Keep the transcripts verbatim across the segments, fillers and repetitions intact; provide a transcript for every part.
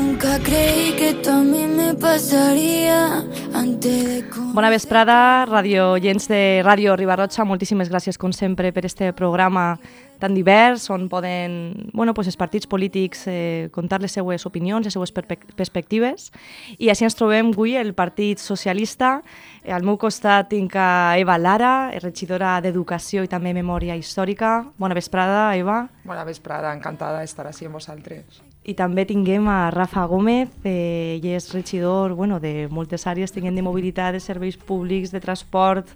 Nunca creí que esto a mí me pasaría antes de... Bona vesprada, radio oients de Ràdio Riba-roja, moltíssimes gràcies com sempre per este programa tan divers on poden bueno, pues els partits polítics eh, contar les seues opinions, les seues perspectives. I així ens trobem avui el Partit Socialista. Al meu costat tinc a Eva Lara, regidora d'Educació i també Memòria Històrica. Bona vesprada, Eva. Bona vesprada, encantada d'estar així amb vosaltres. I també tinguem a Rafa Gómez, eh, ell és regidor bueno, de moltes àrees, tinguem de mobilitat, de serveis públics, de transport,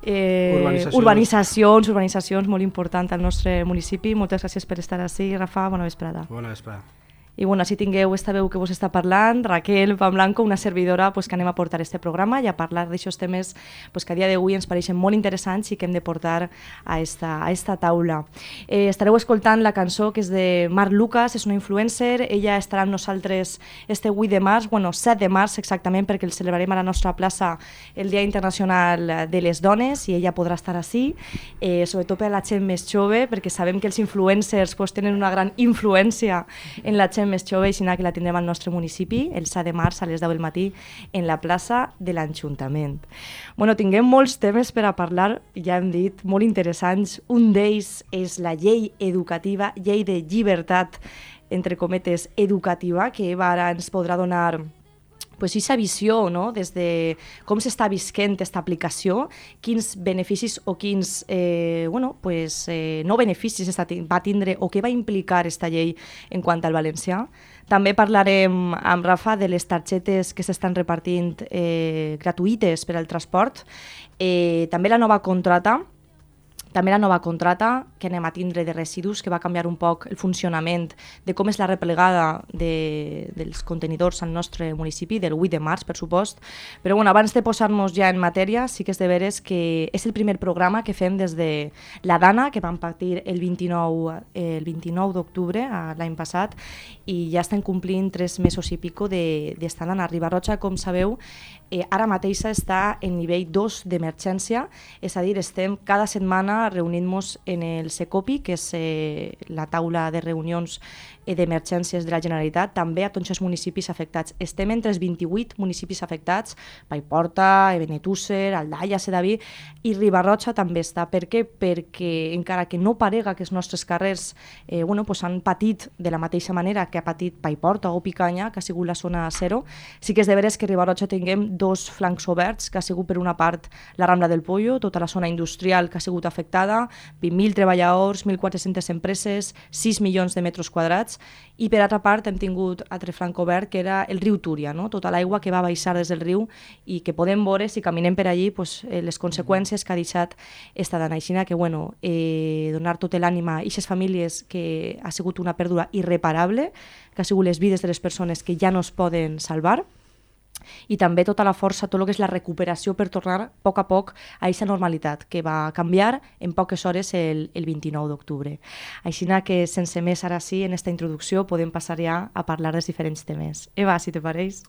eh, urbanitzacions. urbanitzacions, urbanitzacions, molt important al nostre municipi. Moltes gràcies per estar així, Rafa, bona vesprada. Bona vesprada. I bueno, així tingueu esta veu que vos està parlant, Raquel Pamblanco, una servidora pues, que anem a portar este programa i a parlar d'aixòs temes pues, que a dia d'avui ens pareixen molt interessants i que hem de portar a esta, a esta taula. Eh, estareu escoltant la cançó que és de Marc Lucas, és una influencer, ella estarà amb nosaltres este vuit de març, bueno, set de març exactament, perquè el celebrarem a la nostra plaça el Dia Internacional de les Dones i ella podrà estar així, eh, sobretot per a la gent més jove, perquè sabem que els influencers pues, tenen una gran influència en la gent més jove, i que la tindrem al nostre municipi el set de març a les deu del matí en la plaça de l'Ajuntament. Bueno, tinguem molts temes per a parlar, ja hem dit, molt interessants. Un d'ells és la llei educativa, llei de llibertat, entre cometes, educativa, que Eva ara ens podrà donar pues, aquesta visió, no? Des de com s'està visquent aquesta aplicació, quins beneficis o quins eh, bueno, pues, eh, no beneficis va tindre o què va implicar aquesta llei en quant al valencià. També parlarem amb Rafa de les targetes que s'estan repartint eh, gratuïtes per al transport, eh, també la nova contrata, també la nova contrata que anem a tindre de residus, que va canviar un poc el funcionament de com és la replegada de, dels contenidors al nostre municipi, del vuit de març, per supost. Però bueno, abans de posar-nos ja en matèria, sí que és de veres que és el primer programa que fem des de la Dana, que vam partir el vint-i-nou, el vint-i-nou d'octubre l'any passat, i ja estem complint tres mesos i pico d'estar de, a Riba-roja, com sabeu. Eh, ara mateix està en nivell dos d'emergència, és a dir, estem cada setmana reunint-nos en el Secopi, que és eh, la taula de reunions eh, d'emergències de la Generalitat, també a tots els municipis afectats. Estem entre els vint-i-vuit municipis afectats, Paiporta, Benetússer, Aldaia, Sedaví, i Riba-roja també està. Per què? Perquè encara que no parega que els nostres carrers eh, bueno, pues han patit de la mateixa manera que ha patit Paiporta o Picanya, que ha sigut la zona zero, sí que és de veres que a Riba-roja tinguem dos flancs oberts, que ha sigut per una part la Rambla del Pollo, tota la zona industrial que ha sigut afectada, vint mil treballadors, mil quatre-centes empreses, sis milions de metres quadrats, i per altra part hem tingut altre flanc obert, que era el riu Túria, no? Tota l'aigua que va baixar des del riu i que podem veure, si caminem per allí, pues, eh, les conseqüències que ha deixat esta dana. Així que, bueno, eh, donar tot l'ànima a aquestes famílies, que ha sigut una pèrdua irreparable, que ha sigut les vides de les persones que ja no es poden salvar, i també tota la força, tot el que és la recuperació per tornar a poc a poc a aquesta normalitat que va canviar en poques hores el, el vint-i-nou d'octubre. Així que sense més ara sí, en aquesta introducció podem passar ja a parlar dels diferents temes. Eva, si te pareix?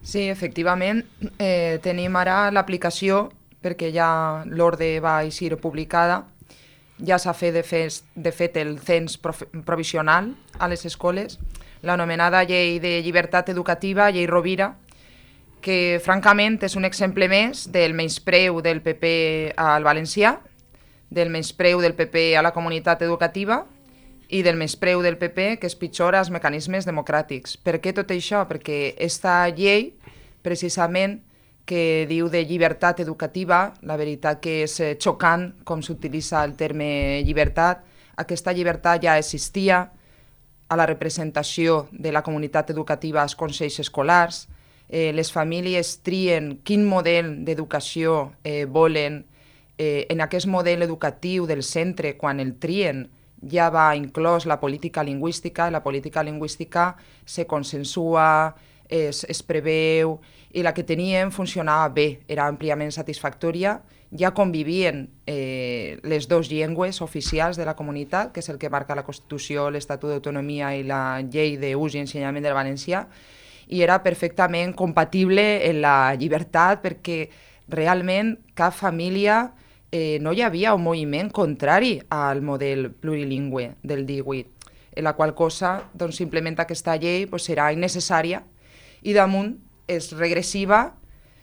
Sí, efectivament, eh, tenim ara l'aplicació, perquè ja l'ordre va eixir publicada, ja s'ha fet de, fet de fet el cens provisional a les escoles, l'anomenada llei de llibertat educativa, llei Rovira, que francament és un exemple més del menyspreu del P P al valencià, del menyspreu del P P a la comunitat educativa i del menyspreu del P P que és pitjor als mecanismes democràtics. Per què tot això? Perquè aquesta llei, precisament, que diu de llibertat educativa, la veritat que és xocant com s'utilitza el terme llibertat. Aquesta llibertat ja existia a la representació de la comunitat educativa als consells escolars. Eh, les famílies trien quin model d'educació eh, volen. Eh, en aquest model educatiu del centre, quan el trien, ja va inclòs la política lingüística, i la política lingüística se consensua, es, es preveu, i la que teníem funcionava bé, era àmpliament satisfactòria, ja convivien eh, les dues llengües oficials de la comunitat, que és el que marca la Constitució, l'Estatut d'Autonomia i la Llei d'Ús i Ensenyament del Valencià, i era perfectament compatible en la llibertat, perquè realment cap família eh, no hi havia un moviment contrari al model plurilingüe del divuit. en la qual cosa doncs, simplement aquesta llei pues, serà innecessària i damunt és regressiva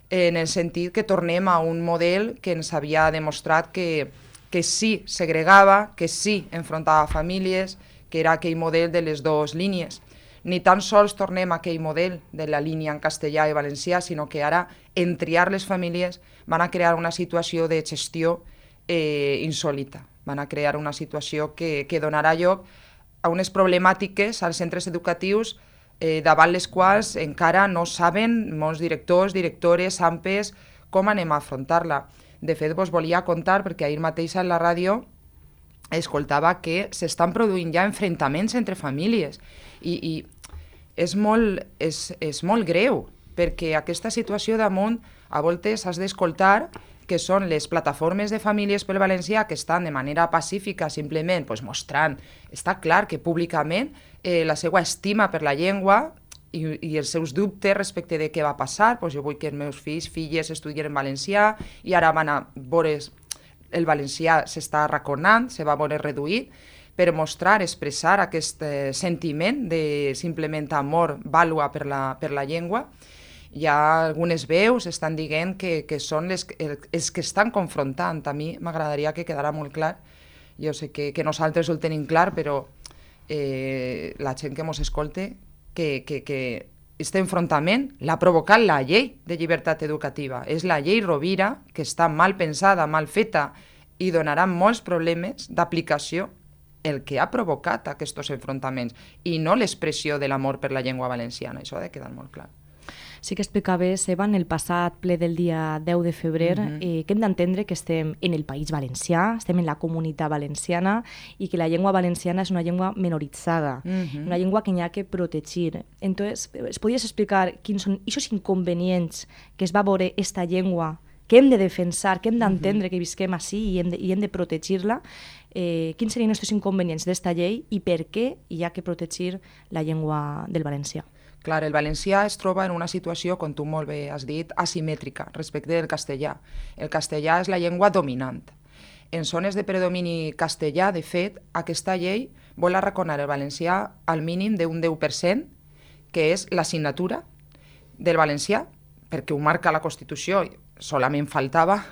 en el sentit que tornem a un model que ens havia demostrat que, que sí segregava, que sí enfrontava famílies, que era aquell model de les dues línies. Ni tan sols tornem a aquell model de la línia en castellà i valencià, sinó que ara, en triar les famílies, van a crear una situació de gestió eh, insòlita. Van a crear una situació que, que donarà lloc a unes problemàtiques als centres educatius eh, davant les quals encara no saben molts directors, directores, A M P Es, com anem a afrontar-la. De fet, vos volia contar, perquè ahir mateix en la ràdio escoltava que s'estan produint ja enfrontaments entre famílies i, i és, molt, és, és molt greu, perquè aquesta situació damunt a voltes has d'escoltar que són les plataformes de famílies pel valencià que estan de manera pacífica simplement pues, mostrant, està clar que públicament eh, la seva estima per la llengua i, i els seus dubtes respecte de què va passar, pues jo vull que els meus fills, filles estudien en valencià i ara van a veure el valencià s'està arraconant, se va veure reduït, per mostrar, expressar aquest eh, sentiment de simplement amor, vàlua per la, per la llengua. Hi ha algunes veus estan dient que, que són les, els que estan confrontant. A mi m'agradaria que quedara molt clar. Jo sé que, que nosaltres ho tenim clar, però eh, la gent que ens escolte, que, que, que aquest enfrontament l'ha provocat la llei de llibertat educativa. És la llei Rovira, que està mal pensada, mal feta, i donarà molts problemes d'aplicació el que ha provocat aquests enfrontaments, i no l'expressió de l'amor per la llengua valenciana. Això ha de quedar molt clar. Sí que explicaves, Eva, en el passat ple del dia deu de febrer, uh-huh. eh, que hem d'entendre que estem en el País Valencià, estem en la comunitat valenciana i que la llengua valenciana és una llengua minoritzada, uh-huh. una llengua que n'hi ha que protegir. Entonces, ¿es podies explicar quins són aquests inconvenients que es va veure esta llengua, que hem de defensar, que hem d'entendre uh-huh. que visquem així i hem de, i hem de protegir-la? Eh, quins serien aquests inconvenients d'esta llei i per què hi ha que protegir la llengua del valencià? Clar, el valencià es troba en una situació, com tu molt bé has dit, asimètrica respecte del castellà. El castellà és la llengua dominant. En zones de predomini castellà, de fet, aquesta llei vol arraconar el valencià al mínim d'un deu per cent, que és l'assignatura del valencià, perquè ho marca la Constitució, solament faltava,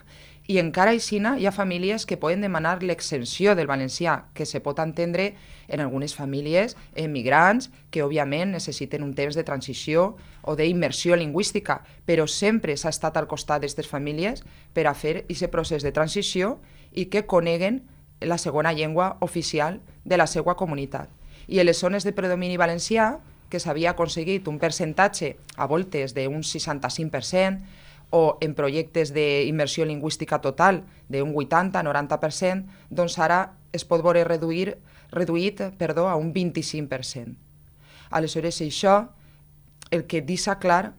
i encara així hi ha famílies que poden demanar l'exempció del valencià, que se pot entendre en algunes famílies emigrants que òbviament necessiten un temps de transició o d'immersió lingüística, però sempre s'ha estat al costat d'aquestes famílies per a fer aquest procés de transició i que coneguen la segona llengua oficial de la seva comunitat. I en les zones de predomini valencià, que s'havia aconseguit un percentatge a voltes d'un seixanta-cinc per cent, o en projectes d'immersió lingüística total d'un vuitanta a noranta per cent, doncs ara es pot veure reduir, reduït perdó, a un vint-i-cinc per cent. Aleshores, això, el que deixa clar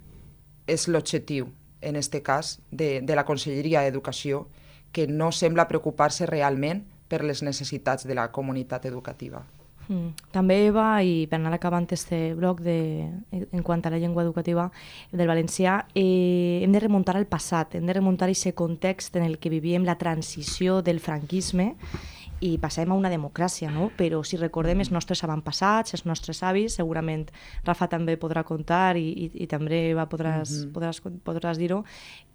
és l'objectiu, en aquest cas, de, de la Conselleria d'Educació, que no sembla preocupar-se realment per les necessitats de la comunitat educativa. Mm. També, Eva, i per anar acabant aquest bloc de, en quant a la llengua educativa del valencià, eh, hem de remuntar al passat, hem de remuntar a aquest context en el que vivíem la transició del franquisme i passem a una democràcia, no? Però si recordem els nostres avantpassats, els nostres avis, segurament Rafa també podrà contar i, i, i també Eva podràs, mm-hmm. podràs, podràs dir-ho,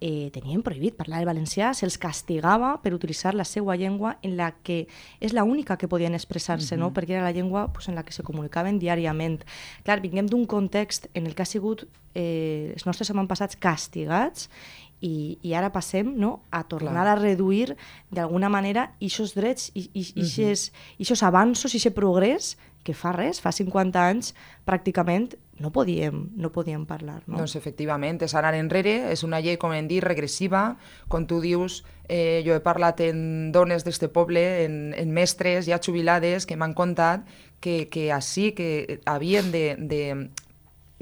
eh, tenien prohibit parlar el valencià, se'ls castigava per utilitzar la seva llengua en la que és l'única que podien expressar-se, mm-hmm. no? Perquè era la llengua pues, en la que se comunicaven diàriament. Clar, vinguem d'un context en el que ha sigut eh, els nostres avantpassats castigats I, i ara passem, no, a tornar Clar. A reduir d'alguna manera aquests drets i aquests uh-huh. avanços i aquest progrés que fa res, fa cinquanta anys pràcticament no podíem, no podíem parlar. No? Doncs efectivament, és anar enrere, és una llei, com hem dit, regressiva. Com tu dius, eh, jo he parlat en dones d'este poble, en, en mestres ja jubilades que m'han contat que, que així que havien de, de,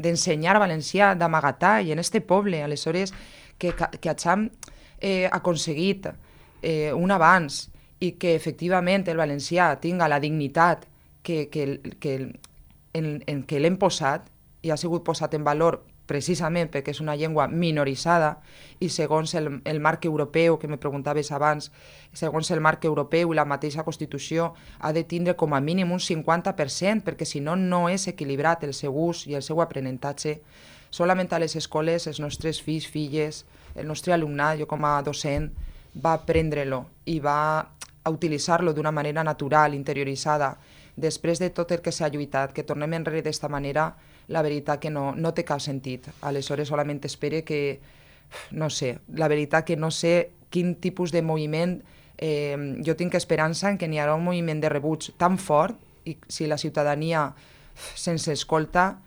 d'ensenyar valencià, d'amagatall en este poble. Aleshores, que, que hagin eh, aconseguit eh, un avanç i que efectivament el valencià tinga la dignitat que, que, que, en, en què l'hem posat i ha sigut posat en valor precisament perquè és una llengua minoritzada i segons el, el marc europeu, que me preguntaves abans, segons el marc europeu i la mateixa Constitució, ha de tindre com a mínim un cinquanta per cent, perquè si no, no és equilibrat el seu ús i el seu aprenentatge. Solament a les escoles, els nostres fills, filles, el nostre alumnat, jo com a docent, va aprendre-lo i va a utilitzar-lo d'una manera natural, interioritzada. Després de tot el que s'ha lluitat, que tornem enrere d'esta manera, la veritat que no, no té cap sentit. Aleshores solament espere que, no sé, la veritat que no sé quin tipus de moviment, eh, jo tinc esperança en que n'hi haurà un moviment de rebuig tan fort, i si la ciutadania se'ns escolta,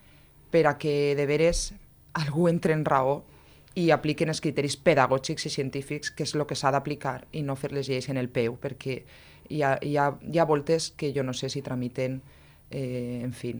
per a que de veres algú entre en raó i apliquen els criteris pedagògics i científics, que és el que s'ha d'aplicar, i no fer les lleis en el peu, perquè hi ha, hi ha, hi ha voltes que jo no sé si tramiten, eh, en fi,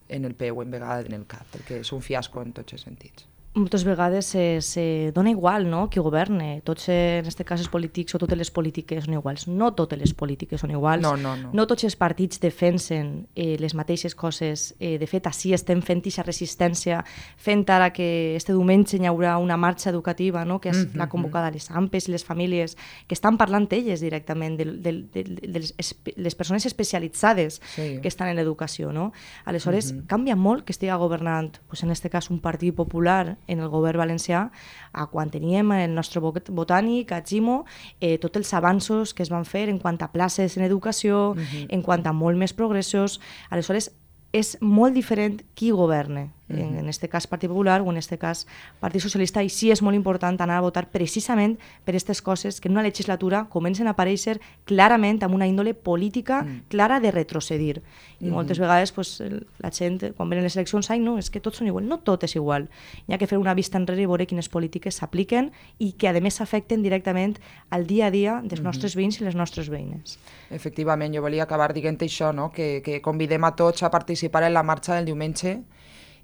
en el peu, en vegada en el cap, perquè és un fiasco en tots els sentits. Moltes vegades se, se dona igual, no?, qui governe. Tots, en aquest cas, els polítics o totes les polítiques són iguals. No totes les polítiques són iguals. No, no, no. No tots els partits defensen eh, les mateixes coses. Eh, de fet, així estem fent aquesta resistència, fent ara que este diumenge hi haurà una marxa educativa, no?, que és mm-hmm. la convocada a les A M P Es i les famílies, que estan parlant elles directament de, de, de, de les, les persones especialitzades sí. que estan en l'educació, no? Aleshores, mm-hmm. canvia molt que estigui governant, pues, en aquest cas, un partit popular en el govern valencià, a quan teníem el nostre botànic, a Gimo, eh, tots els avanços que es van fer en quant a places en educació, uh-huh. en quant a molt més progressos. Aleshores, és molt diferent qui governe, uh-huh. en aquest cas Partit Popular o en aquest cas Partit Socialista, i sí és molt important anar a votar precisament per aquestes coses que en una legislatura comencen a aparèixer clarament amb una índole política uh-huh. clara de retrocedir. I uh-huh. moltes vegades pues, la gent, quan venen les eleccions, ai no, és que tots són igual. No tot és igual. Hi ha que fer una vista enrere i veure quines polítiques s'apliquen i que a més afecten directament al dia a dia dels uh-huh. nostres veïns i les nostres veïnes. Efectivament, jo volia acabar dient això, no? que, que convidem a tots a participar en la marxa del diumenge,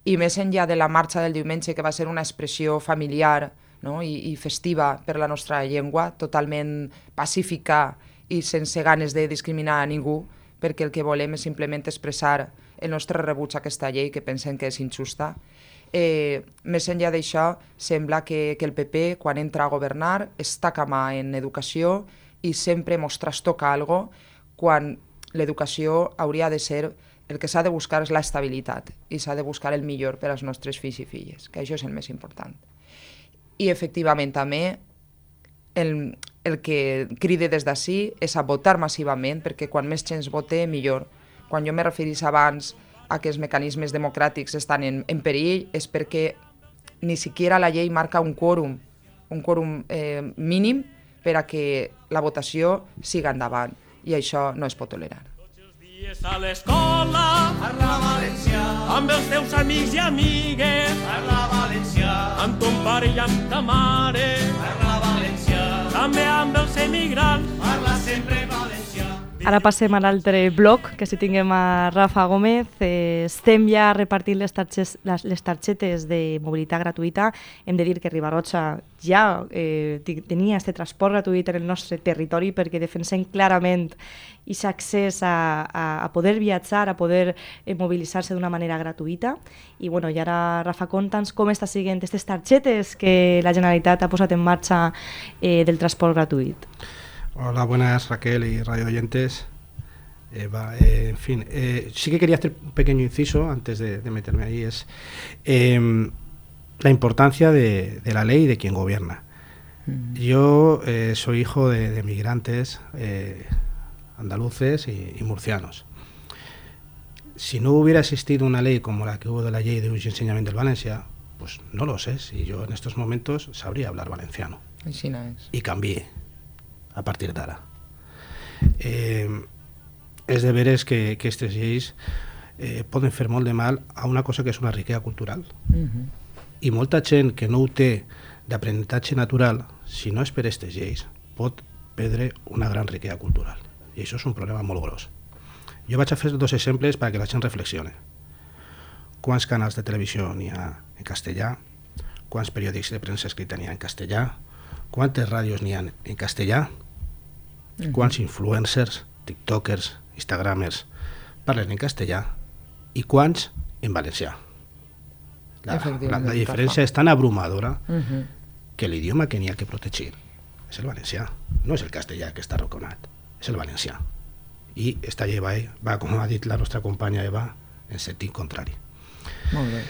i més enllà de la marxa del diumenge, que va ser una expressió familiar, no? I, i festiva per la nostra llengua, totalment pacífica i sense ganes de discriminar a ningú, perquè el que volem és simplement expressar el nostre rebuig a aquesta llei, que pensem que és injusta. Eh, més enllà d'això, sembla que, que el P P, quan entra a governar, està mà en educació i sempre mos trastoca alguna cosa, quan l'educació hauria de ser, el que s'ha de buscar és l'estabilitat i s'ha de buscar el millor per als nostres fills i filles, que això és el més important. I efectivament també el, el que cride des d'ací és a votar massivament, perquè quan més gent vote, millor. Quan jo me referís abans a que els mecanismes democràtics estan en, en perill, és perquè ni siquiera la llei marca un quòrum, un quòrum eh, mínim per a que la votació siga endavant, i això no es pot tolerar. A l'escola, parla valencià, amb els teus amics i amigues, parla valencià, amb ton pare i amb ta mare, parla valencià, també amb els emigrants, parla sempre valencià. Ara passem a l'altre bloc, que si tinguem a Rafa Gómez. Eh, estem ja repartint les, tarxes, les, les targetes de mobilitat gratuïta. Hem de dir que Riba-roja ja eh, tenia aquest transport gratuït en el nostre territori, perquè defensem clarament aquest accés a, a, a poder viatjar, a poder eh, mobilitzar-se d'una manera gratuïta. I, bueno, i ara, Rafa, conta'ns com està siguent aquestes targetes que la Generalitat ha posat en marxa eh, del transport gratuït. Hola, buenas Raquel y radio oyentes. Eh, va, eh, en fin, eh, sí que quería hacer un pequeño inciso antes de, de meterme ahí, es eh, la importancia de, de la ley y de quien gobierna. Mm. Yo eh, soy hijo de, de migrantes eh, andaluces y, y murcianos. Si no hubiera existido una ley como la que hubo de la Llei d'Ús i Ensenyament del Valencià, pues no lo sé, si yo en estos momentos sabría hablar valenciano. Així no és. Y cambié a partir d'ara. Eh, és de veres que, que aquestes lleis eh, poden fer molt de mal a una cosa que és una riquesa cultural. Uh-huh. I molta gent que no ho té d'aprenentatge natural, si no és per aquestes lleis, pot perdre una gran riquesa cultural. I això és un problema molt gros. Jo vaig a fer dos exemples perquè la gent reflexione. Quants canals de televisió n'hi ha en castellà? Quants periòdics de premsa escrita n'hi ha en castellà? Quantes ràdios n'hi ha en castellà? Uh-huh. Quants influencers, tiktokers, instagramers parlen en castellà i quants en valencià? La, la, la diferència és tan abrumadora Uh-huh. que l'idioma que n'hi ha que protegir és el valencià, no és el castellà que està arraconat, és el valencià. I esta llei va, va, com ha dit la nostra companya Eva, en sentit contrari. Molt bé.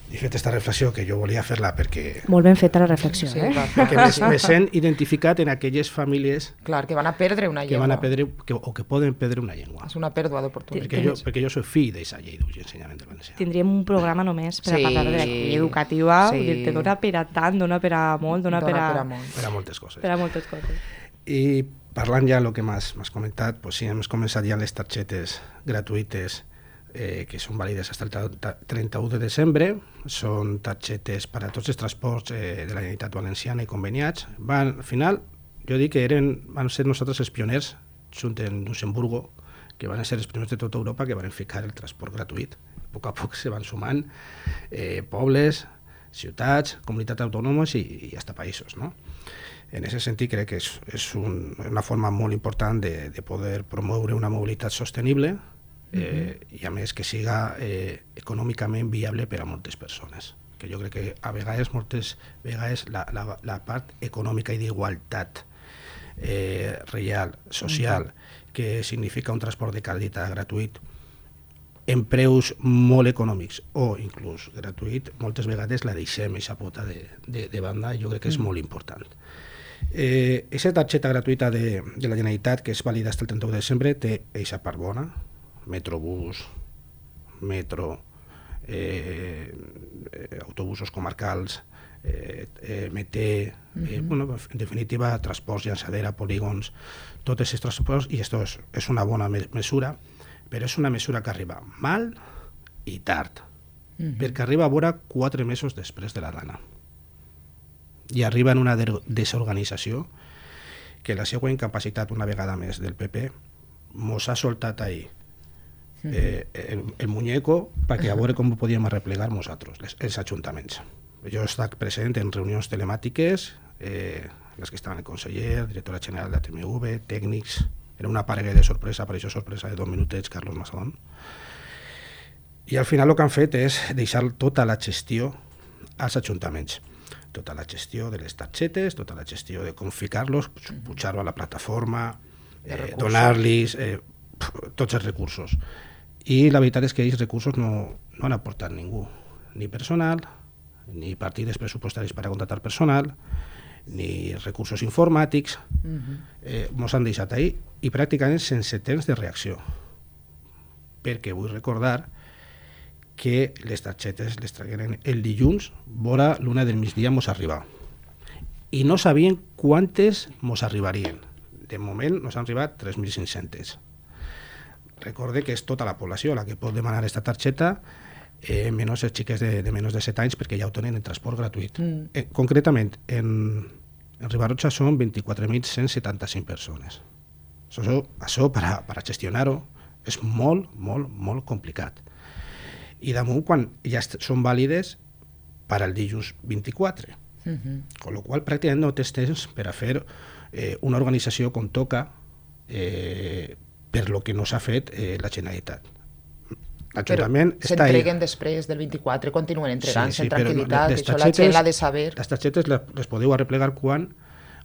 He fet aquesta reflexió que jo volia fer-la perquè, Molt ben feta la reflexió, Sí, eh? va, perquè me, me sent identificat en aquelles famílies Clar, que van a perdre una que llengua. van a perdre que, o que poden perdre una llengua. És una pèrdua Perquè d'oportunitats. jo, perquè jo soc fill d'aquesta llei d'ús i ensenyament del valencià. Tindríem un programa només per a Sí. parlar de la llei educativa, Sí. vull dir, que dona per a tant, dona per a molt, dona, Dona per a, per a molt. Per a moltes coses. per a moltes coses. I parlant ja del que m'has m'has comentat, pues sí, hem començat ja les targetes gratuïtes eh, que són vàlides fins el trenta-u de desembre. Són targetes per a tots els transports eh, de la Generalitat Valenciana i conveniats. Van, al final, jo dic que eren, van ser nosaltres els pioners, junt en Luxemburgo, que van ser els primers de tota Europa que van ficar el transport gratuït. A poc a poc se van sumant eh, pobles, ciutats, comunitats autònomes i, i hasta països, no? En aquest sentit crec que és, és un, una forma molt important de, de poder promoure una mobilitat sostenible eh, i a més que siga eh, econòmicament viable per a moltes persones. Que jo crec que a vegades, moltes vegades, la, la, la part econòmica i d'igualtat eh, real, social, que significa un transport de qualitat gratuït en preus molt econòmics o inclús gratuït, moltes vegades la deixem aquesta pota de, de, de banda i jo crec que és molt important. Eh, aquesta targeta gratuïta de, de la Generalitat, que és vàlida fins el trenta-u de desembre, té aquesta part bona, Metrobús, metro, eh, eh, autobusos comarcals, eh, eh, M T, eh, uh-huh. bueno, en definitiva, transports, llançadera, polígons, tots aquests transports, i això és, és una bona me mesura, però és una mesura que arriba mal i tard, uh-huh. perquè arriba a vora quatre mesos després de la dana. I arriba en una de desorganització que la seva incapacitat, una vegada més, del P P, mos ha soltat ahir eh, el, el muñeco perquè a veure com ho podíem arreplegar nosaltres, les, els ajuntaments. Jo he estat present en reunions telemàtiques, eh, en les que estaven el conseller, directora general de la T M V, tècnics, era una parella de sorpresa, apareixó sorpresa de dos minutets, Carlos Masadón. I al final el que han fet és deixar tota la gestió als ajuntaments. Tota la gestió de les targetes, tota la gestió de com ficar-los, pujar-ho a la plataforma, eh, donar-los eh, tots els recursos. I la veritat és que aquests recursos no, no han aportat ningú, ni personal, ni partides pressupostaris per a contratar personal, ni recursos informàtics, uh-huh. eh, mos han deixat ahí i pràcticament sense temps de reacció. Perquè vull recordar que les targetes les tragueren el dilluns, vora l'una del migdia mos arriba. I no sabien quantes mos arribarien. De moment nos han arribat tres mil cinc-centes. Recorde que és tota la població la que pot demanar aquesta targeta, eh, menys els xiquets de, de menys de set anys, perquè ja ho tenen en transport gratuït. Mm. Eh, concretament, en, en Ribarroja són vint-i-quatre mil cent setanta-cinc persones. Això, això per, a, per a gestionar-ho és molt, molt, molt complicat. I damunt, quan ja són vàlides per al dilluns vint-i-quatre. Uh-huh. Con lo qual, pràcticament no tens temps per a fer eh, una organització com toca eh, per lo que no s'ha fet eh, la Generalitat. L'Ajuntament està ahí. S'entreguen després del vint-i-quatre, continuen entregant-se sí, sí, en tranquil·litat, les això la gent l'ha de saber. Les targetes les, les podeu arreplegar quan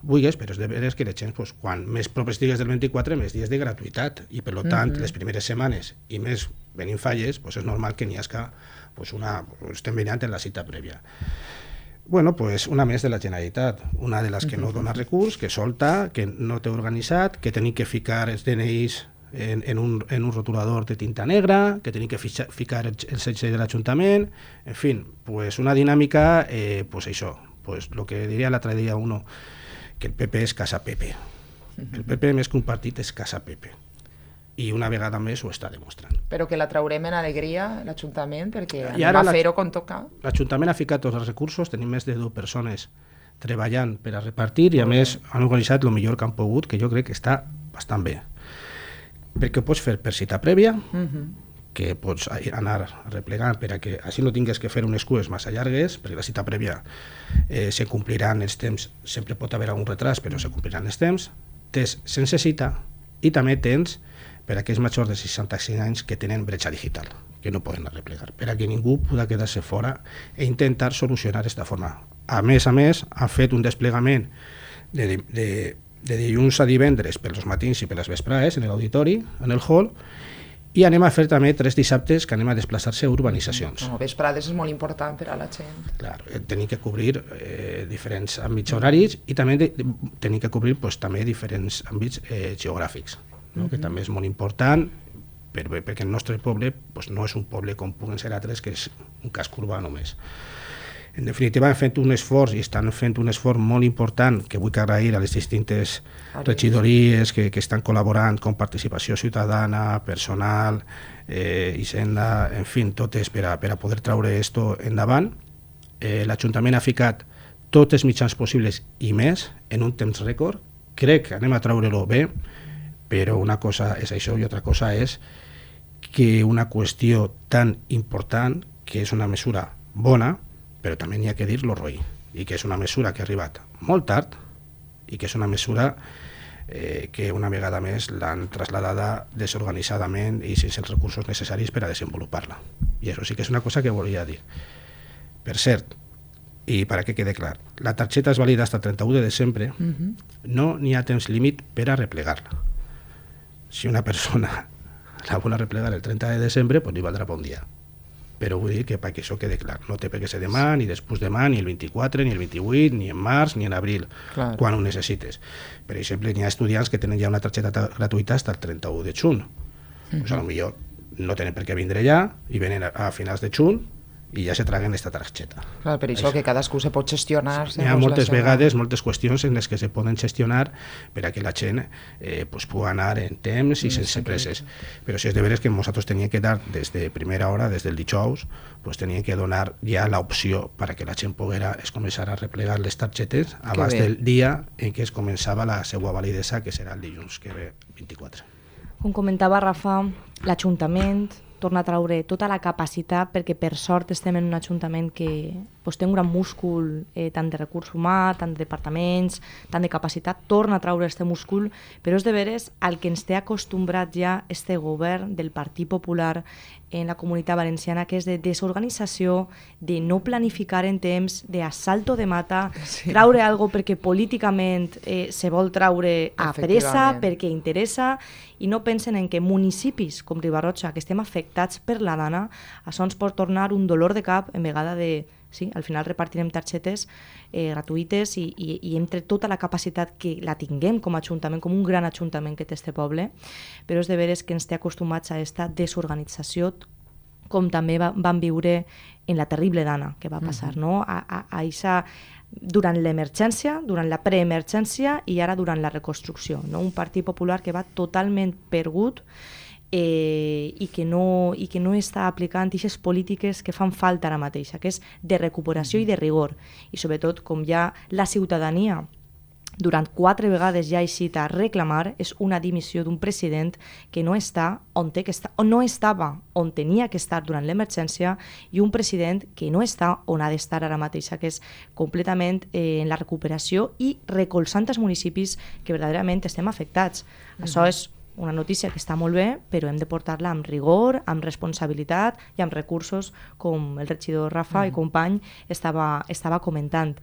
vulguis, però és de veres que les gent, pues, quan més propers digues del vint-i-quatre, més dies de gratuïtat, i per tant, mm-hmm. les primeres setmanes i més venint falles, pues, és normal que n'hi hagi pues, una, estem venint en la cita prèvia. Bueno, pues una més de la Generalitat, una de les que no dona recurs, que solta, que no té organitzat, que tenim que ficar els D N Is en, en, un, en un rotulador de tinta negra, que tenim que fixa, ficar el, el setge de l'Ajuntament, en fi, pues una dinàmica, eh, pues això, pues lo que diria l'altre dia uno, que el P P és casa Pepe. El P P més que un partit és casa Pepe. I una vegada més ho està demostrant. Però que la traurem en alegria, l'Ajuntament, perquè anem a fer-ho com toca. L'Ajuntament ha ficat tots els recursos, tenim més de dues persones treballant per a repartir i a més han organitzat el millor que han pogut, que jo crec que està bastant bé. Perquè ho pots fer per cita prèvia, uh-huh. que pots anar replegant per a que així no tingues que fer unes cues massa llargues, perquè la cita prèvia eh, se compliran els temps, sempre pot haver algun retras, però se compliran els temps. Tens sense cita i també tens per a aquells majors de seixanta-cinc anys que tenen bretxa digital, que no poden arreplegar, per a que ningú pugui quedar-se fora e intentar solucionar d'esta forma. A més a més, han fet un desplegament de, de, de dilluns a divendres per els matins i per les vesprades en l'auditori, en el hall, i anem a fer també tres dissabtes que anem a desplaçar-se a urbanitzacions. No, vesprades és molt important per a la gent. Clar, tenim que cobrir eh, diferents àmbits horaris i també de, de, tenim que cobrir pues, també diferents àmbits eh, geogràfics, no? Uh-huh. Que també és molt important per, perquè el nostre poble pues, no és un poble com puguen ser altres, que és un casc urbà només. En definitiva, han fet un esforç i estan fent un esforç molt important que vull agrair a les distintes regidories que, que estan col·laborant com participació ciutadana, personal, eh, Hisenda, en fi, totes per a, per a poder traure esto endavant. Eh, L'Ajuntament ha ficat tots els mitjans possibles i més en un temps rècord. Crec que anem a traure-lo bé, però una cosa és això i altra cosa és que una qüestió tan important, que és una mesura bona, però també n'hi ha que dir lo roí, i que és una mesura que ha arribat molt tard i que és una mesura eh, que una vegada més l'han traslladada desorganitzadament i sense els recursos necessaris per a desenvolupar-la. I això sí que és una cosa que volia dir. Per cert, i per a que quede clar, la targeta és vàlida fins al trenta-u de desembre, uh-huh. No n'hi ha temps límit per a replegar-la. Si una persona la vol replegar el trenta de desembre, doncs li valdrà per un dia. Però vull dir que perquè això quede clar, no té per què ser demà, ni després demà, ni el vint-i-quatre, ni el vint-i-vuit, ni en març, ni en abril, clar. Quan ho necessites. Per exemple, hi ha estudiants que tenen ja una targeta gratuïta fins al trenta-u de juny. Mm-hmm. Pues a lo millor no tenen per què vindre ja i venen a, a finals de juny i ja se traguen aquesta targeta. Clar, per això, això que cadascú se pot gestionar. Sí, hi ha moltes vegades, moltes qüestions en les que se poden gestionar per a que la gent eh, pues, pugui anar en temps i mm, sense presses. Però si és de veres que nosaltres teníem que dar des de primera hora, des del dijous, pues, teníem que donar ja l'opció per a que la gent poguera es començar a replegar les targetes abans del dia en què es començava la seva validesa, que serà el dilluns que ve vint-i-quatre. Com comentava Rafa, l'Ajuntament torna a traure tota la capacitat, perquè per sort estem en un ajuntament que pues, té un gran múscul, eh, tant de recurs humà, tant de departaments, tant de capacitat, torna a traure aquest múscul, però és de veres al que ens té acostumbrat ja este govern del Partit Popular en la Comunitat Valenciana, que és de desorganització, de no planificar en temps, d'assalto de mata, sí. Traure algo perquè políticament eh, se vol traure a pressa, perquè interessa, i no pensen en que municipis com Riba-roja, que estem afectats per la dana, això ens pot tornar un dolor de cap en vegada de... Sí, al final repartirem targetes eh, gratuïtes i, i, i entre tota la capacitat que la tinguem com a ajuntament, com un gran ajuntament que té este poble, però és de veres que ens té acostumats a aquesta desorganització, com també va, van viure en la terrible dana que va passar, uh-huh. No? A, a, a isa, durant l'emergència, durant la preemergència i ara durant la reconstrucció, no? Un Partit Popular que va totalment perdut, Eh, i, que no, i que no està aplicant aquestes polítiques que fan falta ara mateixa, que és de recuperació i de rigor. I sobretot, com ja la ciutadania durant quatre vegades ja ha eixit a reclamar, és una dimissió d'un president que no està on té que estar, on no estava on tenia que estar durant l'emergència, i un president que no està on ha d'estar ara mateixa, que és completament eh, en la recuperació i recolzant els municipis que verdaderament estem afectats. Mm-hmm. Això és una notícia que està molt bé, però hem de portar-la amb rigor, amb responsabilitat i amb recursos, com el regidor Rafa mm. i company estava, estava comentant.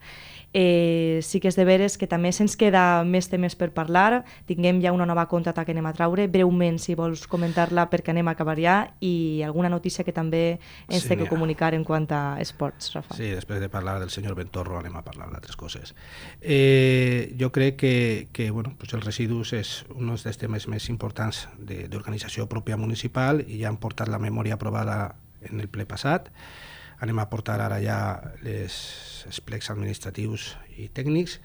Eh, sí que és de veres que també se'ns queda més temes per parlar, tinguem ja una nova contrata que anem a traure, breument si vols comentar-la perquè anem a acabar ja, i alguna notícia que també ens sí, té que comunicar en quant a esports, Rafa. Sí, després de parlar del senyor Ventorro anem a parlar d'altres coses. Eh, jo crec que, que bueno, pues els residus és un dels temes més importants d'organització pròpia municipal, i ja han portat la memòria aprovada en el ple passat. Anem a portar ara ja les, els plecs administratius i tècnics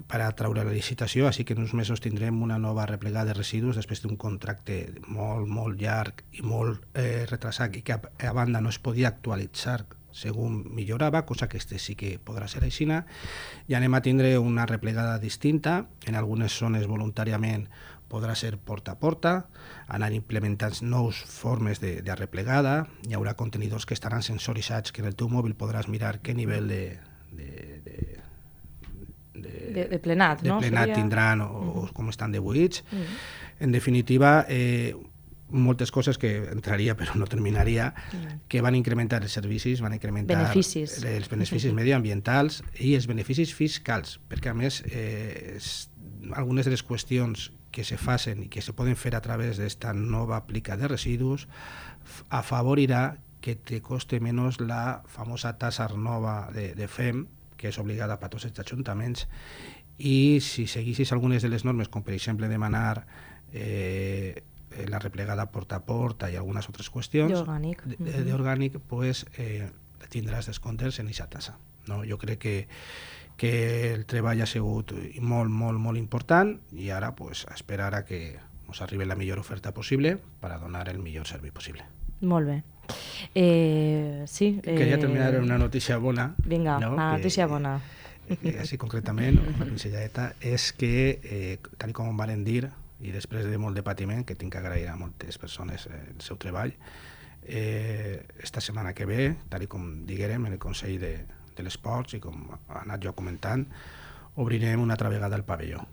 per a traure la licitació, així que en uns mesos tindrem una nova replegada de residus després d'un contracte molt, molt llarg i molt eh, retrasat, i que a, a banda no es podia actualitzar segons millorava, cosa que este sí que podrà ser així, i anem a tindre una replegada distinta, en algunes zones voluntàriament podrà ser porta a porta, anar implementant nous formes de, de replegada, hi haurà contenidors que estaran sensoritzats, que en el teu mòbil podràs mirar què nivell de, de, de, de, de, de plenat, de no? plenat Seria... tindran o, uh-huh. o com estan de buits. Uh-huh. En definitiva, eh, moltes coses que entraria però no terminaria, que van incrementar els servicis, van incrementar beneficis. els beneficis mediambientals i els beneficis fiscals, perquè a més eh, es, algunes de les qüestions que se facen i que se poden fer a través d'esta nova aplica de residus afavorirà que te coste menys la famosa tassa nova de, de F E M, que és obligada per tots els ajuntaments, i si seguissis algunes de les normes, com per exemple demanar eh, la replegada porta a porta i algunes altres qüestions d'orgànic, d'orgànic, pues, eh, tindràs descomptes en aquesta tassa. No? Jo crec que, que el treball ha sigut molt, molt, molt important i ara pues, esperar a que ens arribi la millor oferta possible per a donar el millor servei possible. Molt bé. Eh, sí, eh... Queria terminar amb una notícia bona. Vinga, no? la notícia que, bona. Eh, així concretament, una pinzelladeta, és que, eh, tal com em van dir, i després de molt de patiment, que tinc que agrair a moltes persones eh, el seu treball, eh, esta setmana que ve, tal com diguérem en el Consell de, de l'Esports, i com ha anat jo comentant, obrirem una altra vegada el pavelló.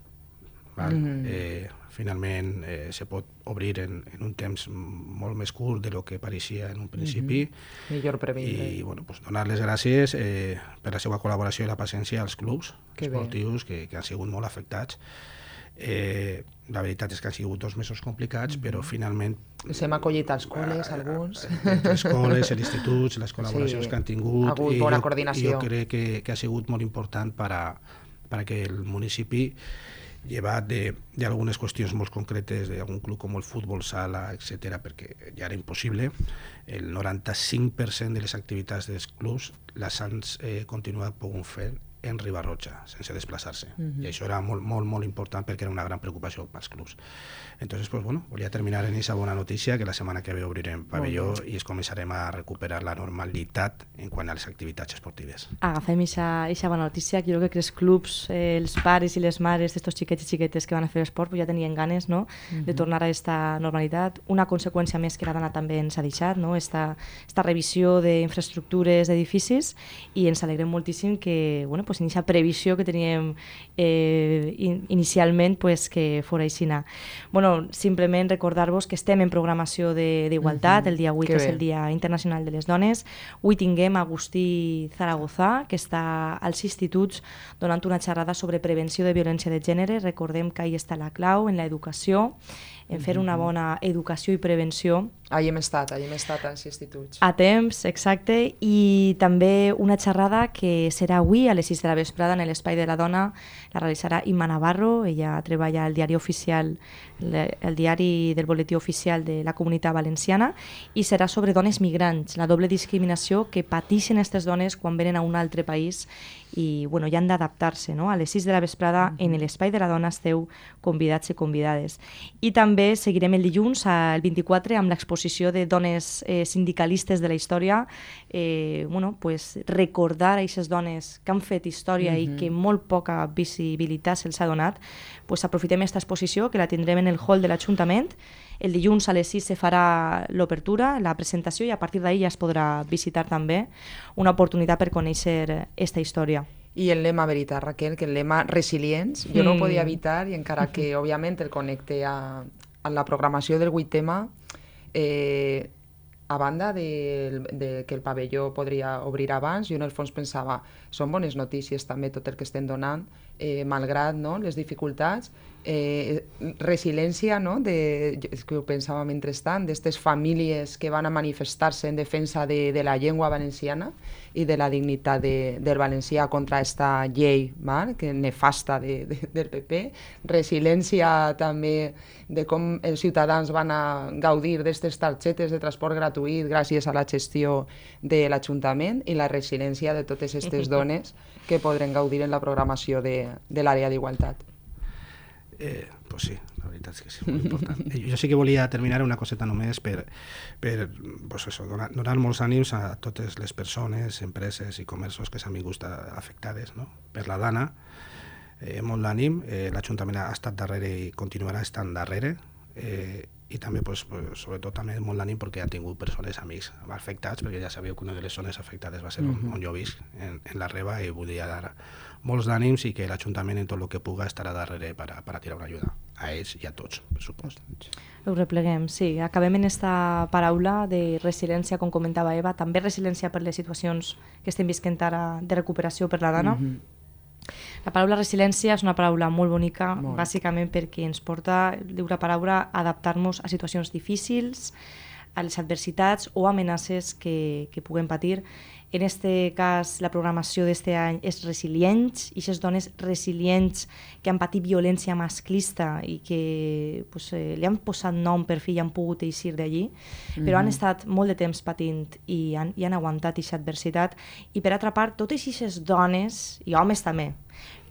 Val? Mm-hmm. eh, finalment eh, se pot obrir en, en un temps molt més curt de lo que pareixia en un principi. Mm-hmm. Millor previndre. I bueno, pues, donar les gràcies eh, per la seva col·laboració i la paciència als clubs que esportius que, que han sigut molt afectats. Eh, la veritat és que han sigut dos mesos complicats, mm-hmm. però finalment... S'hem acollit als col·les, uh, alguns. Les col·les, els instituts, les col·laboracions sí, que han tingut. Ha hagut bona coordinació. Jo crec que, que ha sigut molt important per a, per a que el municipi, llevat d'algunes qüestions molt concretes d'algun club com el futbol sala, etcètera, perquè ja era impossible, el noranta-cinc per cent de les activitats dels clubs les han eh, continuat pogut fer en Riba-roja, sense desplaçar-se. Mm-hmm. I això era molt, molt, molt important perquè era una gran preocupació pels clubs. Entonces, pues bueno, volia terminar en aquesta bona notícia que la setmana que ve obrirem pavelló i es començarem a recuperar la normalitat en quant a les activitats esportives. Agafem aquesta bona notícia, que jo crec que els clubs, eh, els pares i les mares d'estos xiquets i xiquetes que van a fer esport pues ja tenien ganes, no?, mm-hmm. de tornar a aquesta normalitat. Una conseqüència més que la dona també ens ha deixat, no?, esta, esta revisió d'infraestructures d'edificis, i ens alegrem moltíssim que, bueno, pues en aquesta previsió que teníem eh, in, inicialment pues, que fora aixina. Bueno, simplement recordar-vos que estem en programació d'igualtat, mm-hmm. el dia vuit que és el Dia Internacional de les Dones. Avui tinguem Agustí Zaragoza, que està als instituts donant una xerrada sobre prevenció de violència de gènere. Recordem que ahí està la clau, en l'educació, en fer una bona educació i prevenció. Ahí hem estat, ahí hem estat als instituts. A temps, exacte, i també una xerrada que serà avui a les sis de la vesprada en l'Espai de la Dona, la realitzarà Imma Navarro, ella treballa al diari oficial, el diari del boletí oficial de la Comunitat Valenciana, i serà sobre dones migrants, la doble discriminació que pateixen aquestes dones quan venen a un altre país i bueno, ja han d'adaptar-se, no? A les sis de la vesprada en l'Espai de la Dona esteu convidats i convidades. I també seguirem el dilluns, el vint-i-quatre, amb l'exposició de dones eh, sindicalistes de la història, eh, bueno, pues, recordar a aquestes dones que han fet història mm-hmm. i que molt poca visibilitat se'ls ha donat, pues, aprofitem aquesta exposició, que la tindrem en el hall de l'Ajuntament. El dilluns a les sis se farà l'obertura, la presentació, i a partir d'ahir ja es podrà visitar també, una oportunitat per conèixer aquesta història. I el lema, veritat, Raquel, que el lema resilients, jo mm. no ho podia evitar, i encara que, òbviament, el connecte a, a la programació del vuit tema, eh, a banda de, de que el pavelló podria obrir abans, jo en el fons pensava, són bones notícies també tot el que estem donant, eh, malgrat no, les dificultats, eh, resiliència, no, de, és que ho pensava mentrestant, d'aquestes famílies que van a manifestar-se en defensa de, de la llengua valenciana i de la dignitat de, del valencià contra aquesta llei mal, que nefasta de, de, del P P, resiliència també de com els ciutadans van a gaudir d'aquestes targetes de transport gratuït gràcies a la gestió de l'Ajuntament, i la resiliència de totes aquestes dones que podran gaudir en la programació de, de l'àrea d'igualtat. Eh, pues sí, la veritat és que sí, és molt important. Jo sí que volia terminar una coseta només per, per pues eso, donar, donar molts ànims a totes les persones, empreses i comerços que s'han vingut afectades, no? Per la Dana, eh, molt d'ànim, eh, l'Ajuntament ha estat darrere i continuarà estant darrere, eh, i també, pues, pues, sobretot, també molt d'ànim perquè ha tingut persones, amics afectats, perquè ja sabeu que una de les zones afectades va ser uh -huh. on, on jo visc, en, en la Reba, i volia dar molts d'ànims i que l'Ajuntament en tot el que puga estarà darrere per a, per a tirar una ajuda a ells i a tots, per supost. Ho repleguem, sí. Acabem en esta paraula de resiliència, com comentava Eva, també resiliència per les situacions que estem visquent ara de recuperació per la dona. Uh -huh. La paraula resiliència és una paraula molt bonica, molt. Bàsicament perquè ens porta, diu la paraula, a adaptar-nos a situacions difícils, a les adversitats o amenaces que, que puguem patir. En este cas, la programació d'este any és Resilients, i aquestes dones resilients que han patit violència masclista i que pues, eh, li han posat nom per fi i han pogut eixir d'allí, mm-hmm. però han estat molt de temps patint i han, i han aguantat aquesta adversitat. I per altra part, totes aquestes dones, i homes també,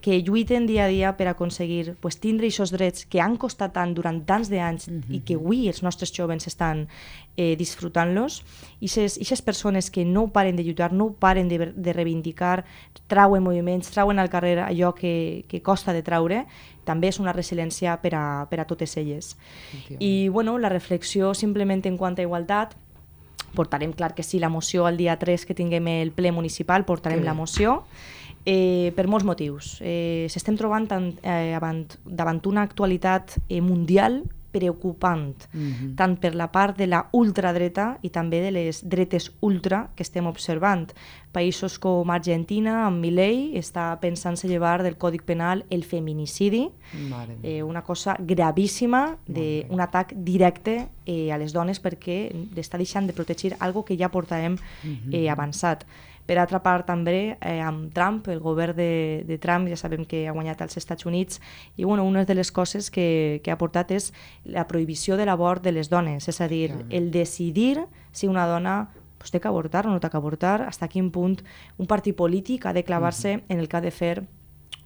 que lluiten dia a dia per aconseguir pues, tindre aquests drets que han costat tant durant tants d'anys mm-hmm. i que avui els nostres joves estan eh, disfrutant-los, i aquestes persones que no paren de lluitar, no paren de, de reivindicar, trauen moviments, trauen al carrer allò que, que costa de traure, també és una resiliència per a, per a totes elles. I bueno, la reflexió simplement en quant a igualtat, portarem, clar que sí, la moció el dia tres que tinguem el ple municipal, portarem sí. la moció, Eh, per molts motius. Eh, S'estem trobant tant, eh, davant, davant una actualitat eh, mundial preocupant, mm-hmm. tant per la part de la ultradreta i també de les dretes ultra que estem observant. Països com Argentina, amb Milei, està pensant-se llevar del Codi Penal el feminicidi, eh, una cosa gravíssima, de, un atac directe eh, a les dones perquè està deixant de protegir algo que ja portàvem eh, avançat. Per altra part, també, eh, amb Trump, el govern de, de Trump, ja sabem que ha guanyat als Estats Units, i bueno, una de les coses que, que ha portat és la prohibició de l'abort de les dones, és a dir, el decidir si una dona pues, té que avortar o no té que avortar, fins a quin punt un partit polític ha de clavar-se en el que ha de fer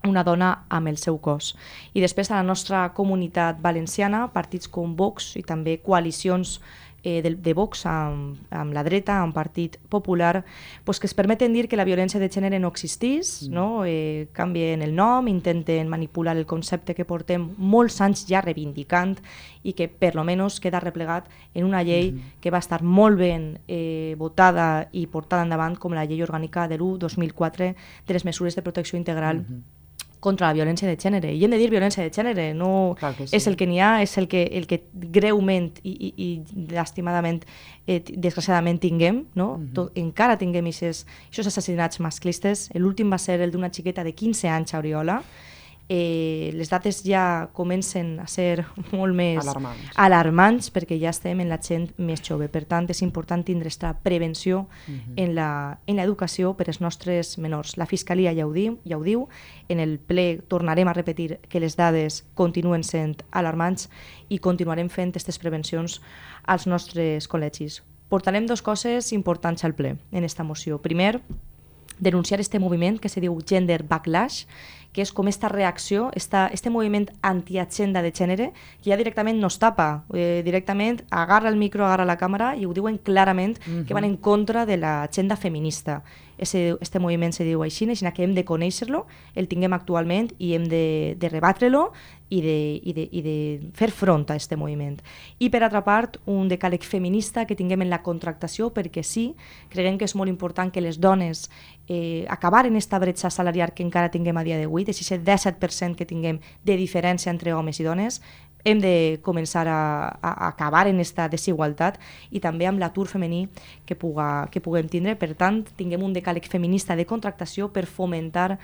una dona amb el seu cos. I després, a la nostra comunitat valenciana, partits com Vox i també coalicions Eh, de, de Vox amb, amb la dreta, amb Partit Popular, pues que es permeten dir que la violència de gènere no existís, mm. no? eh, canvien el nom, intenten manipular el concepte que portem molts anys ja reivindicant i que per lo menos queda replegat en una llei mm. que va estar molt ben eh, votada i portada endavant com la llei orgànica de l'u dos mil quatre de les mesures de protecció integral mm-hmm. contra la violència de gènere. I hem de dir violència de gènere, no sí. és el que n'hi ha, és el que, el que greument i, i, i lastimadament, eh, desgraciadament tinguem, no? Uh-huh. Tot, encara tinguem aquests assassinats masclistes. L'últim va ser el d'una xiqueta de quinze anys a Oriola. Eh, les dates ja comencen a ser molt més alarmants. alarmants perquè ja estem en la gent més jove. Per tant, és important tindre aquesta prevenció uh-huh. en la, en l'educació per als nostres menors. La Fiscalia ja ho diu, ja ho diu. En el ple tornarem a repetir que les dades continuen sent alarmants i continuarem fent aquestes prevencions als nostres col·legis. Portarem dues coses importants al ple en esta moció. Primer, denunciar este moviment que se diu Gender Backlash, que és com esta reacció, esta, este moviment antiagenda de gènere, que ja directament no es tapa, eh, directament agarra el micro, agarra la càmera i ho diuen clarament mm-hmm. que van en contra de l'agenda feminista. Ese, este moviment se diu així, així que hem de conèixer-lo, el tinguem actualment i hem de, de rebatre-lo i de, i, de, i de fer front a aquest moviment. I per altra part, un decàleg feminista que tinguem en la contractació, perquè sí, creiem que és molt important que les dones eh, acabar en aquesta bretxa salarial que encara tinguem a dia d'avui, de aquest disset per cent que tinguem de diferència entre homes i dones, hem de començar a, a acabar en aquesta desigualtat i també amb l'atur femení que, puga, que puguem tindre. Per tant, tinguem un decàleg feminista de contractació per fomentar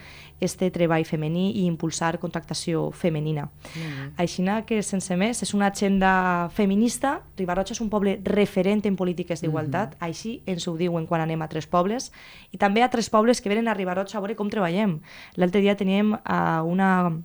este treball femení i impulsar contractació femenina. Mm-hmm. Així que, sense més, és una agenda feminista. Riba-roja és un poble referent en polítiques d'igualtat, mm-hmm. així ens ho diuen quan anem a Tres Pobles, i també a Tres Pobles que venen a Riba-roja a veure com treballem. L'altre dia teníem a una...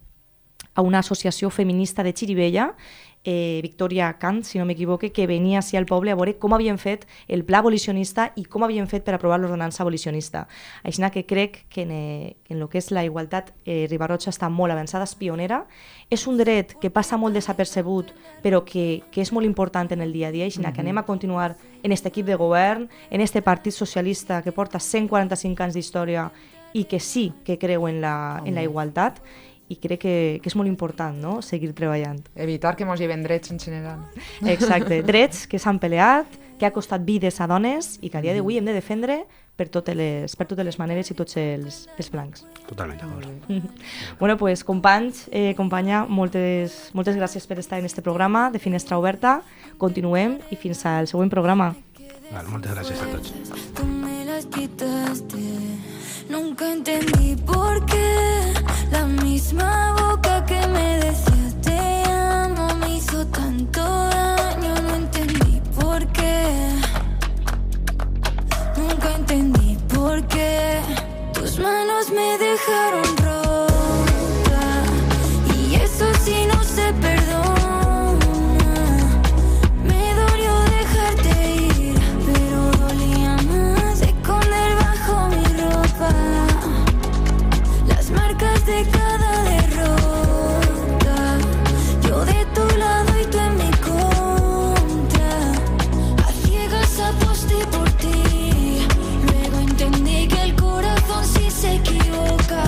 a una associació feminista de Xirivella, eh, Victoria Kant, si no m'equivoque, que venia així al poble a veure com havien fet el pla abolicionista i com havien fet per aprovar l'ordenança abolicionista. Així que crec que en, eh, en el que és la igualtat eh, Riba-roja està molt avançada, és pionera, és un dret que passa molt desapercebut, però que, que és molt important en el dia a dia, així mm-hmm. que anem a continuar en aquest equip de govern, en aquest Partit Socialista que porta cent quaranta-cinc anys d'història i que sí que creu en la, en la igualtat, i crec que, que és molt important, no?, seguir treballant. Evitar que mos lleven drets en general. Exacte, drets que s'han peleat, que ha costat vides a dones i que a dia d'avui hem de defendre per totes les, per totes les maneres i tots els, els blancs. Totalment d'acord. Bueno, pues, companys, eh, companya, moltes, moltes gràcies per estar en este programa de Finestra Oberta. Continuem i fins al següent programa. Vale, moltes gràcies a tots. Tú me las quitaste. Nunca entendí por qué la misma boca que me decía te amo me hizo tanto daño. No entendí por qué. Nunca entendí por qué tus manos me dejaron rota y eso sí no se perdona. Me dolió dejarte ir, pero dolía más esconder bajo mi ropa las marcas de cada derrota. Yo de tu lado y tú en mi contra, a ciegas aposté por ti. Luego entendí que el corazón sí se equivoca.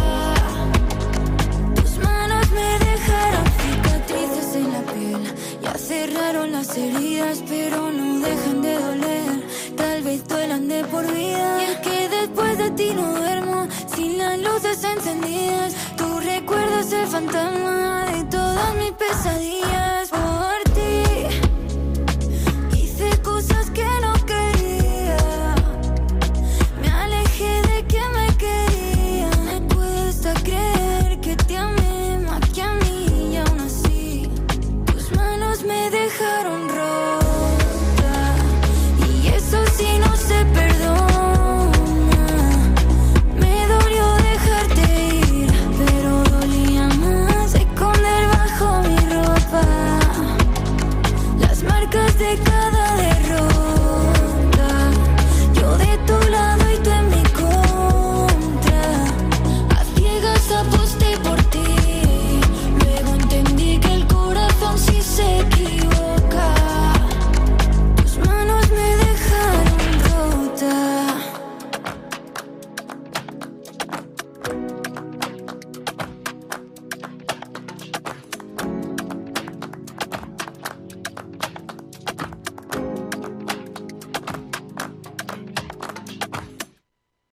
Tus manos me dejaron cicatrices en la piel, ya cerraron las heridas, pero no dejan de doler. Tal vez duelan de por vida. Y es que después de ti no duermo sin las luces encendidas. Tú recuerdas el fantasma de todas mis pesadillas. Oh,